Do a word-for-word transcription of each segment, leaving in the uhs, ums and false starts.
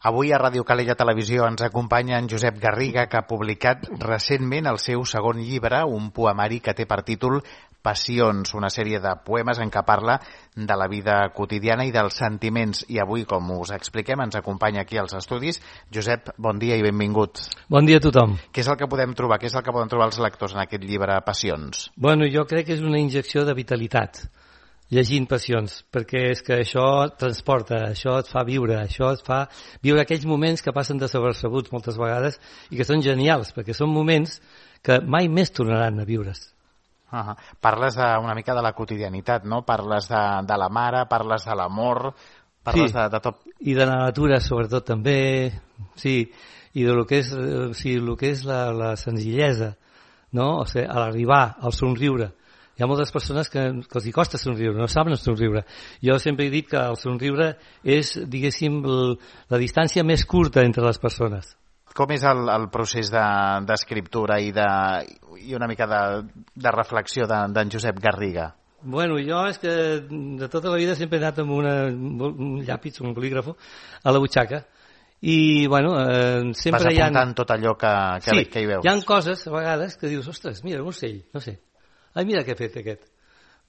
Avui a Ràdio Calella Televisió ens acompanya en Josep Garriga, que ha publicat recentment el seu segon llibre, un poemari que té per títol Passions, una sèrie de poemes en què parla de la vida quotidiana i dels sentiments. I avui, com us expliquem, ens acompanya aquí als estudis. Josep, bon dia i benvingut. Bon dia a tothom. Què és el que podem trobar? Què és el que poden trobar els lectors en aquest llibre Passions? Bueno, jo crec que és una injecció de vitalitat, llegint Passions, perquè és que això et transporta, això et fa viure, això et fa viure aquells moments que passen desapercebuts moltes vegades i que són genials, perquè són moments que mai més tornaran a viure's. Uh-huh. Parles de, una mica de la quotidianitat, no? Parles de, de la mare, parles de l'amor, parles sí, de, de tot. I de la natura, sobretot, també, sí, i de lo que és, o sigui, lo que és la, la senzillesa, no? O sigui, a l'arribar, al somriure. Hi ha moltes persones que, que els hi costa somriure, no saben somriure. Jo sempre he dit que el somriure és, diguéssim, el, la distància més curta entre les persones. Com és el, el procés d'escriptura de, i, de, i una mica de, de reflexió d'en de, Josep Garriga? Bueno, jo és que de tota la vida sempre he anat amb una, un llàpis, un bolígrafo, a la butxaca. I, bueno, eh, sempre Vas hi ha... apuntant tot allò que, que, sí, que hi veus. Hi ha coses, a vegades, que dius, ostres, mira, un ocell, no sé. Ai, mira què ha fet aquest.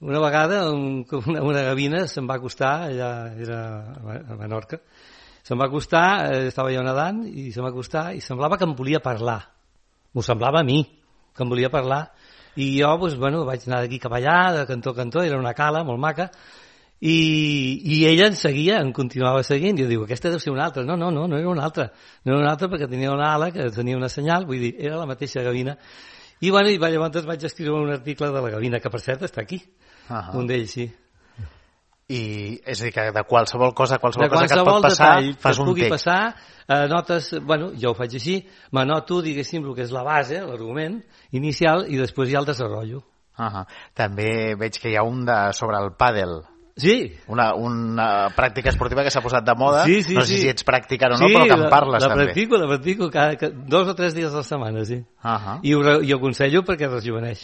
Una vegada un, una, una gavina se'm va acostar, allà era a Menorca, se'm va acostar, eh, estava jo nedant, i se'm va acostar i semblava que em volia parlar. M'ho semblava a mi, que em volia parlar. I jo, doncs, bueno, vaig anar d'aquí cap allà, de cantó a cantó, era una cala molt maca, i, i ella em seguia, em continuava seguint, i jo dic, aquesta deu ser una altra. No, no, no, no era una altra. No era una altra perquè tenia una ala que tenia una senyal, vull dir, era la mateixa gavina. I, bueno, i llavors vaig escriure un article de la gavina, que per cert està aquí, uh-huh. Un d'ells, sí. I és a dir, que de qualsevol cosa, qualsevol, de cosa que et pot passar, detall, fas que un pugui text. passar, eh, notes, bueno, jo ho faig així, m'anoto, diguéssim, el que és la base, l'argument inicial, i després hi ha el desenvolupament. Uh-huh. També veig que hi ha un de, sobre el pàdel. Sí. Una, una pràctica esportiva que s'ha posat de moda. Sí, sí, no sé sí. si ets practicant o no, sí, però que en parles la, la també. practico, la practico cada, cada, dos o tres dies a la setmana, sí. Uh-huh. I ho, i ho aconsello perquè rejuveneix.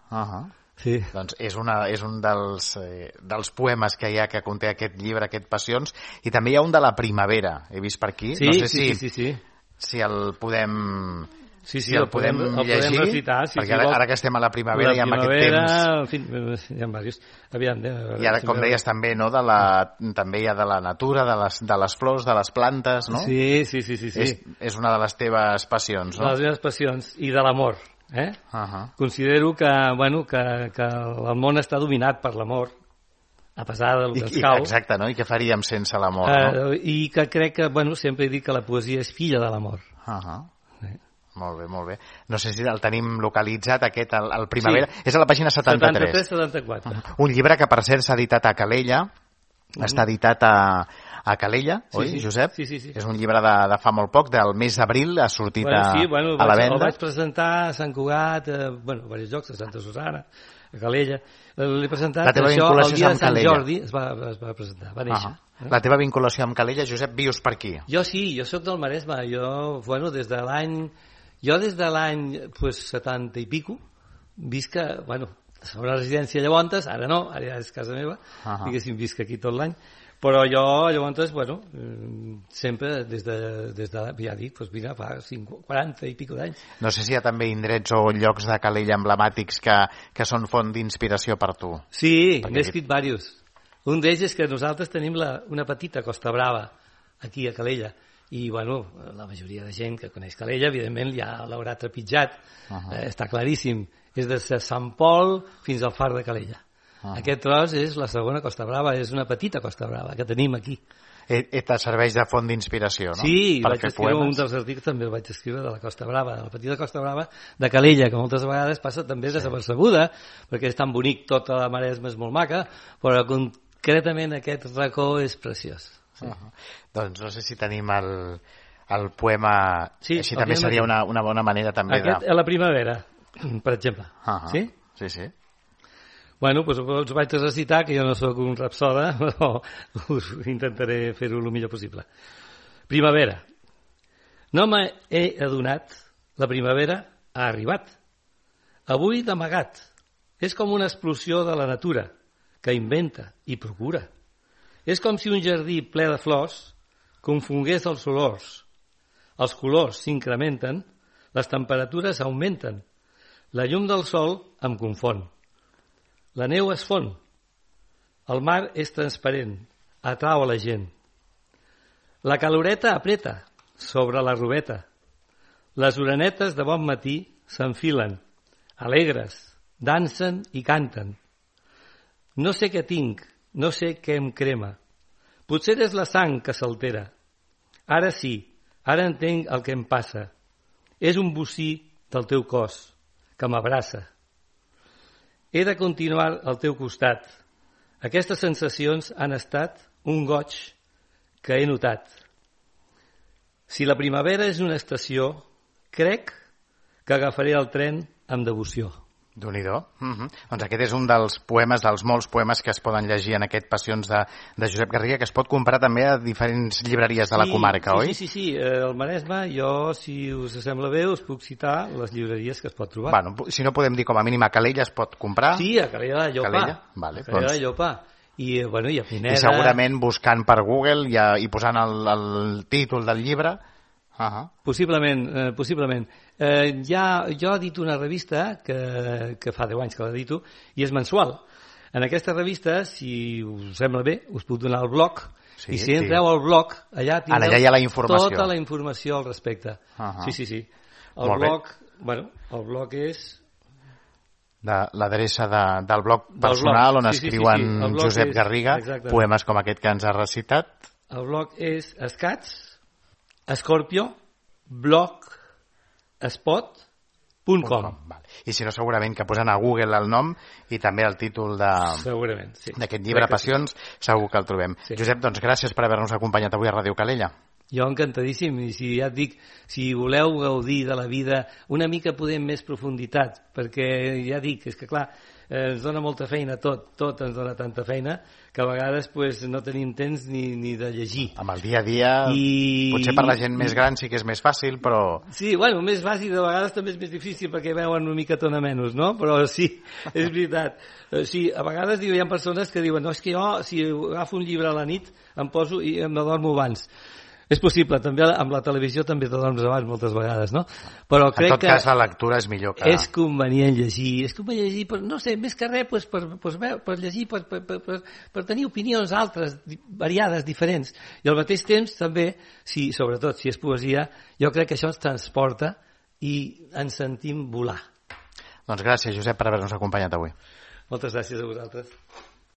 Uh-huh. Sí. Doncs és, una, és un dels, eh, dels poemes que hi ha que conté aquest llibre, aquest Passions, i també hi ha un de la primavera, he vist per aquí. Sí, no sé sí, si, sí, sí, sí. si el podem... Sí, sí, si el, el podem, podem el llegir, podem recitar, sí, perquè sí, ara, ara que estem a la primavera i amb aquest temps... En fi, hi ha diversos. Aviam, eh, I ara, com deies, també, no, de la, també hi ha de la natura, de les, de les flors, de les plantes, no? Sí, sí, sí. sí, sí. És, és una de les teves passions, no? De les meves passions, i de l'amor. Eh? Uh-huh. Considero que, bueno, que, que el món està dominat per l'amor, a pesar del que I, ens cau. Exacte, no? I què faríem sense l'amor, uh, no? I que crec que, bueno, sempre he dit que la poesia és filla de l'amor. Uh-huh. Sí. Molt bé, molt bé. No sé si el tenim localitzat, aquest, el, el Primavera. Sí. És a la pàgina setanta-tres. setanta-tres setanta-quatre. Uh-huh. Un llibre que, per cert, s'ha editat a Calella. Uh-huh. Està editat a, a Calella, sí, oi, sí. Josep? Sí, sí, sí. És un llibre de, de fa molt poc, del mes d'abril, ha sortit bueno, sí, bueno, a, a la vaig, venda. El vaig presentar a Sant Cugat, a, bueno, a diversos llocs, a Santa Susana, a Calella. L'he presentat, la teva això, el dia de Sant Calella. Jordi es va, es va presentar, va néixer. Uh-huh. La teva vinculació amb Calella, Josep, vius per aquí? Jo sí, jo sóc del Maresme, jo, bueno, des de l'any... Jo des de l'any pues, setanta i pico visc que, bueno, a una residència llavors, ara no, ara ja és casa meva, uh-huh. diguéssim, visc aquí tot l'any, però jo llavors, bueno, sempre des de, des de ja dic, doncs mira, fa quaranta i pico d'anys. No sé si hi ha també indrets o llocs de Calella emblemàtics que, que són font d'inspiració per tu. Sí, n'he escrit diversos. Un d'ells és que nosaltres tenim la, una petita Costa Brava aquí a Calella, i bueno, la majoria de gent que coneix Calella evidentment ja l'haurà trepitjat, uh-huh. eh, està claríssim, és de Sant Pol fins al Far de Calella. Uh-huh. Aquest tros és la segona Costa Brava, és una petita Costa Brava que tenim aquí. Et, et serveix de font d'inspiració, no? Sí, per vaig escriure poemes. Un dels articles també el vaig escriure de la Costa Brava, de la petita Costa Brava de Calella, que moltes vegades passa també sí. desapercebuda, perquè és tan bonic, tota la Maresma és molt maca, però concretament aquest racó és preciós. Sí. Uh-huh. Doncs no sé si tenim el, el poema, sí, així també seria una, una bona manera també aquest, de... a la primavera, per exemple. Uh-huh. Sí? Sí, sí. Bueno, doncs us vaig recitar, que jo no sóc un rapsoda, però us intentaré fer-ho el millor possible. Primavera. No m'he adonat, la primavera ha arribat. Avui d'amagat. És com una explosió de la natura, que inventa i procura. És com si un jardí ple de flors confongués els olors. Els colors s'incrementen, les temperatures augmenten. La llum del sol em confon. La neu es fon. El mar és transparent, atrau a la gent. La caloreta apreta sobre la robeta. Les orenetes de bon matí s'enfilen, alegres, dansen i canten. No sé què tinc, no sé què em crema. Potser és la sang que s'altera. Ara sí, ara entenc el que em passa. És un bocí del teu cos, que m'abraça. He de continuar al teu costat. Aquestes sensacions han estat un goig que he notat. Si la primavera és una estació, crec que agafaré el tren amb devoció. Déu-n'hi-do. Uh-huh. Doncs aquest és un dels poemes, dels molts poemes que es poden llegir en aquest Passions de, de Josep Garriga, que es pot comprar també a diferents llibreries de la sí, comarca, sí, oi? Sí, sí, sí. Eh, al Maresme, jo, si us sembla bé, us puc citar les llibreries que es pot trobar. Bueno, si no podem dir com a mínim a Calella es pot comprar. Sí, a Calella de Llopà. Calella? Vale, a Calella doncs... de Llopà. I, bueno, i a Pineda... I segurament buscant per Google i, a, i posant el, el títol del llibre... Uh-huh. Possiblement, eh, possiblement. Eh, ja, jo edito una revista que, que fa deu anys que l'edito i és mensual. En aquesta revista, si us sembla bé, us puc donar el blog sí, i si entreu sí. al blog, allà tindreu allà hi ha la informació. Tota la informació al respecte. Uh-huh. Sí, sí, sí. El Molt blog, bé. bueno, el blog és... De l'adreça de, del blog personal blog. on sí, escriuen sí, sí, sí. Josep és, Garriga, exactament. Poemes com aquest que ens ha recitat. El blog és escats Scorpio blogspot punt com. Vale. I si no, segurament que posant a Google el nom i també el títol segurament, sí. d'aquest llibre Passions, sí. Segur que el trobem. Sí. Josep, doncs gràcies per haver-nos acompanyat avui a Ràdio Calella. Jo encantadíssim, i si ja et dic, si voleu gaudir de la vida una mica podem més profunditat, perquè ja dic, és que clar, eh, ens dona molta feina tot, tot ens dona tanta feina que a vegades pues, no tenim temps ni, ni de llegir. Amb el dia a dia, I... potser per la gent més gran sí que és més fàcil, però... Sí, bueno, més fàcil, de vegades també és més difícil perquè veuen una mica tona menys, no? Però sí, és veritat. Sí, a vegades diu, hi ha persones que diuen no, és que jo, si agafo un llibre a la nit, em poso i em adormo abans. És possible, també amb la televisió també t'adorms abans moltes vegades, no? Però crec en tot que cas, la lectura és millor que... És convenient llegir, és convenient llegir, per, no sé, més que res, pues, per, pues, per llegir, per, per, per, per, per tenir opinions altres, variades, diferents. I al mateix temps, també, si, sobretot si és poesia, jo crec que això ens transporta i ens sentim volar. Doncs gràcies, Josep, per haver-nos acompanyat avui. Moltes gràcies a vosaltres.